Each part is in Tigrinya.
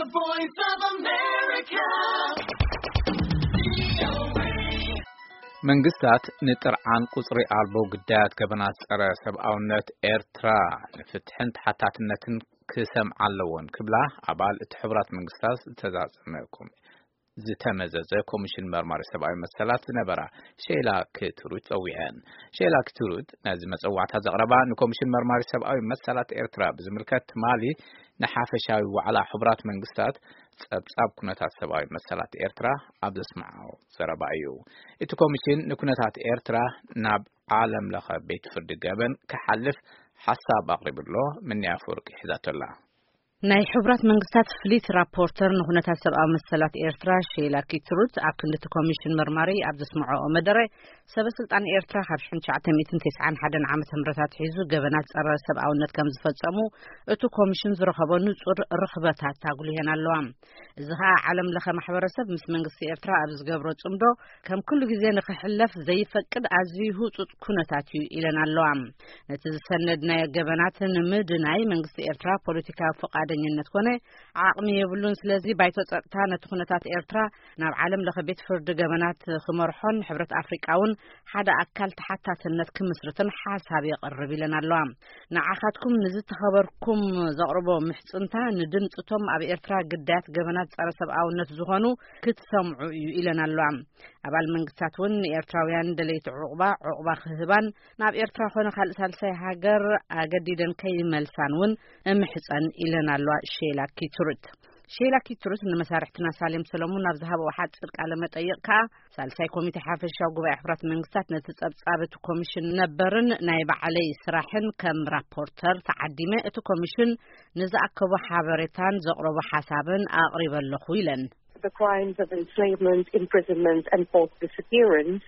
The Voice of America. መንግስታት ንጥርዓን ቁጽሪ ኣልቦ ግዳያት ገበናት ጸረ ሰብኣውነት ኤርትራ ንፍትሕን ተሓታትነትን ክሰምዓ ኣለዎን ክብላ ኣባል እቲ ሕቡራት መንግስታት ዝተዛዘመ ኮሚ-፣ ዝተመዘዘ ኮሚሽን መርማሪ ሰብኣዊ መሰላት ዝነበራ ሼላ ክትሩት ጸዊዐን። ሼላ ክትሩት ነዚ መጸዋዕታ ዘቕረባ ንኮሚሽን መርማሪ ሰብኣዊ መሰላት ኤርትራ ብዝምልከት ትማሊ ንሓፈሻዊ ዋዕላ ሕቡራት መንግስታት ጸብጻብ ኩነታት ሰብኣዊ መሰላት ኤርትራ ኣብ ዘስምዓዎ ዘረባ እዩ። እቲ ኮሚሽን ንኩነታት ኤርትራ ናብ ዓለም ለኸ ቤት ፍርዲ ገበን ክሓልፍ ሓሳብ ኣቕሪቡ ኣሎ። ምንያ ኣፈወርቂ ሒዛቶ ኣላ። ናይ ሕቡራት መንግስታት ፍሊት ራፖርተር ንኩነታት ሰብኣዊ መሰላት ኤርትራ ሼላ ኪትሩት ኣብ ክንዲ እቲ ኮሚሽን መርማሪ ኣብ ዘስምዖ መደረ፣ ሰበ ስልጣን ኤርትራ ካብ ሽሕን ትሽዓተ ሚእትን ተስዓን ሓደን ዓመተ ምህረት ኣትሒዙ ገበናት ጸረ ሰብኣውነት ከም ዝፈጸሙ እቲ ኮሚሽን ዝረኸቦ ንጹር ርኽበታት ኣጉሊሀን ኣለዋ። እዚ ኸኣ ዓለም ለኸ ማሕበረሰብ ምስ መንግስቲ ኤርትራ ኣብ ዝገብሮ ጽምዶ ከም ኩሉ ግዜ ንኽሕለፍ ዘይፈቅድ ኣዝዩ ህጹጽ ኩነታት እዩ ኢለን ኣለዋ። ነቲ ዝሰነድናዮ ገበናት ንምድናይ መንግስቲ ኤርትራ ፖለቲካዊ ፈቃደኝነት ኮነ ዓቕሚ የብሉን። ስለዚ ባይቶ ጸጥታ ነቲ ኩነታት ኤርትራ ናብ ዓለም ለኸ ቤት ፍርዲ ገበናት ክመርሖን ሕብረት ኣፍሪቃ እውን ሓደ ኣካል ተሓታትነት ክምስርትን ሓሳብ የቕርብ ኢለን ኣለዋ። ንዓኻትኩም ንዝተኸበርኩም ዘቕርቦ ምሕጽንታ ንድምጽቶም ኣብ ኤርትራ ግዳያት ገበናት ጸረ ሰብኣውነት ዝኾኑ ክትሰምዑ እዩ ኢለን ኣለዋ። ኣባል መንግስታት እውን ንኤርትራውያን ደለይቲ ዕቑባ፣ ዕቑባ ክህባን ናብ ኤርትራ ኮነ ካልእ ሳልሳይ ሃገር ኣገዲደን ከይመልሳን እውን እምሕጸን ኢለን ኣለዋ ሼላ ኪትሩት። ሼላ ኪትሩት ንመሳርሕትና ሳሌም ሰለሙን ኣብ ዝሃበኦ ሓጺር ቃለ መጠይቕ ከኣ ሳልሳይ ኮሚቴ ሓፈሻዊ ጉባኤ ሕቡራት መንግስታት ነቲ ጸብጻብ እቲ ኮሚሽን ነበርን ናይ ባዕለይ ስራሕን ከም ራፖርተር ተዓዲመ እቲ ኮሚሽን ንዝኣከቦ ሓበሬታን ዘቕረቦ ሓሳብን ኣቕሪበ ኣለኹ ኢለን። The crimes of enslavement, imprisonment, and forced disappearance,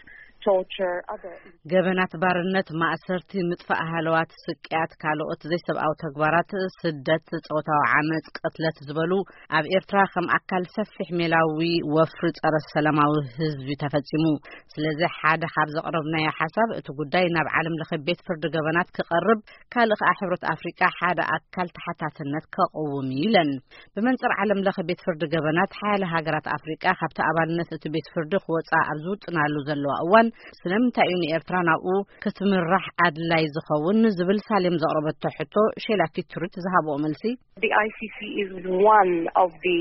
torture, other ገበናት ባርነት፣ ማእሰርቲ፣ ምጥፋእ ሃለዋት፣ ስቅያት፣ ካልኦት ዘይሰብኣዊ ተግባራት፣ ስደት፣ ጾታዊ ዓመጽ፣ ቅትለት ዝበሉ ኣብ ኤርትራ ከም ኣካል ሰፊሕ ሜላዊ ወፍሪ ጸረ ሰላማዊ ህዝቢ ተፈጺሙ። ስለዚ ሓደ ካብ ዘቕረብናዮ ሓሳብ እቲ ጉዳይ ናብ ዓለም ለኸ ቤት ፍርዲ ገበናት ክቐርብ፣ ካልእ ከኣ ሕብረት ኣፍሪቃ ሓደ ኣካል ተሓታትነት ከቕውም እዩ ኢለን። ብመንጽር ዓለም ለኸ ቤት ፍርዲ ገበናት ሓያለ ሃገራት ኣፍሪቃ ካብቲ ኣባልነት እቲ ቤት ፍርዲ ክወጻ ኣብ ዝውጥናሉ ዘለዋ እዋን ስለምንታይ እዩ ንኤርትራ ናብኡ ክትምራሕ ኣድላይ ዝኸውን ዝብል ሳሌም ዘቕረበቶ ሕቶ ሼላ ኪትሩት ዝሃብኦ መልሲ The I C C is one of the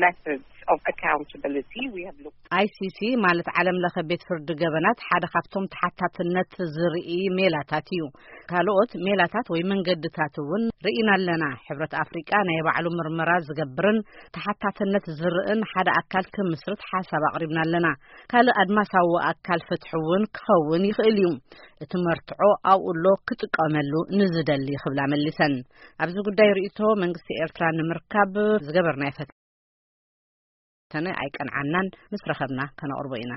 methods of accountability. We have looked ICC ማለት ዓለም ለኸ ቤት ፍርዲ ገበናት ሓደ ካብቶም ተሓታትነት ዝርኢ ሜላታት እዩ። ካልኦት ሜላታት ወይ መንገድታት እውን ርኢና ኣለና። ሕብረት ኣፍሪቃ ናይ ባዕሉ ምርመራ ዝገብርን ተሓታትነት ዝርእን ሓደ ኣካል ክምስርት ሓሳብ ኣቕሪብና ኣለና። ካልእ ኣድማሳዊ ኣካል ፍትሒ እውን ክኸውን ይኽእል እዩ። እቲ መርትዖ ኣብኡ ኣሎ፣ ክጥቀመሉ ንዝደሊ ክብላ መሊሰን። ኣብዚ ጉዳይ ርእይቶ መንግስቲ ኤርትራ ንምርካብ ዝገበርናዮ ፈተነ ኣይቀንዓናን፣ ምስ ረኸብና ከነቕርቦ ኢና።